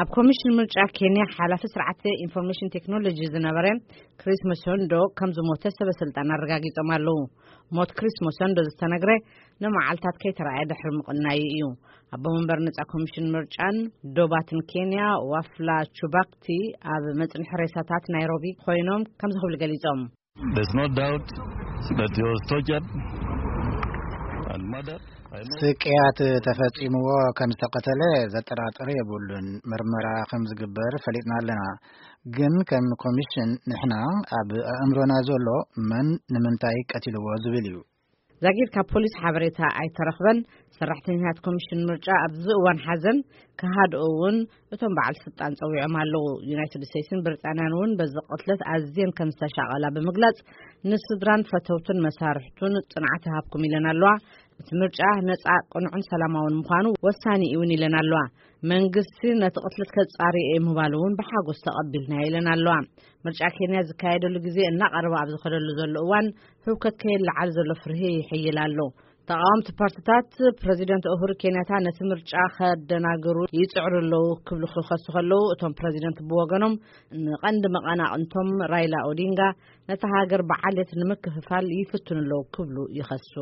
ኣብ ኮሚሽን ምርጫ ኬንያ ሓላፊ ስርዓተ ኢንፎርሜሽን ቴክኖሎጂ ዝነበረ ክሪስ መሰንዶ ከም ዝሞተ ሰበ ስልጣን ኣረጋጊጾም ኣለዉ። ሞት ክሪስ መሰንዶ ዝተነግረ ንመዓልታት ከይተረኣየ ድሕሪ ምቕናዩ እዩ። ኣቦ መንበር ነጻ ኮሚሽን ምርጫን ዶባትን ኬንያ ዋፍላ ቹባክቲ ኣብ መጽንሒ ሬሳታት ናይሮቢ ኮይኖም ከምዚ ክብሉ ገሊጾም። There's no doubt that he was tortured and murdered. I know. ስቅያት ተፈጺምዎ ከም ዝተቐተለ ዘጠራጥር የብሉን። ምርመራ ከም ዝግበር ፈሊጥና ኣለና። ግን ከም ኮሚሽን ንሕና ኣብ ኣእምሮና ዘሎ መን ንምንታይ ቀቲልዎ ዝብል እዩ። ዛጊድ ካብ ፖሊስ ሓበሬታ ኣይተረኽበን። ሰራሕተኛታት ኮሚሽን ምርጫ ኣብዚ እዋን ሓዘን ክሃድኡ እውን እቶም በዓል ስልጣን ጸዊዖም ኣለዉ። ዩናይትድ ስቴትስን ብሪጣንያን እውን በዚ ቅትለት ኣዝየን ከም ዝተሻቐላ ብምግላጽ፣ ንስድራን ፈተውትን መሳርሕቱን ጽንዓት ይሃብኩም ኢለን ኣለዋ። እቲ ምርጫ ነጻ፣ ቅኑዕን ሰላማውን ምዃኑ ወሳኒ እውን ኢለን ኣለዋ። መንግስቲ ነቲ ቅትለት ከጻሪ እየ ምባሉ እውን ብሓጎስ ተቐቢልና ኢለን ኣለዋ። ምርጫ ኬንያ ዝካየደሉ ግዜ እናቐረበ ኣብ ዝኸደሉ ዘሎ እዋን፣ ህውከት ከየለዓል ዘሎ ፍርሂ ይሕይል ኣሎ። ተቓወምቲ ፓርቲታት ፕረዚደንት ኡሁሩ ኬንያታ ነቲ ምርጫ ከደናግሩ ይጽዕሩ ኣለዉ ክብሉ ክኸሱ ከለዉ፣ እቶም ፕረዚደንት ብወገኖም ንቐንዲ መቐናቕንቶም ራይላ ኦዲንጋ ነታ ሃገር ብዓሌት ንምክፍፋል ይፍትኑ ኣለዉ ክብሉ ይኸሱ።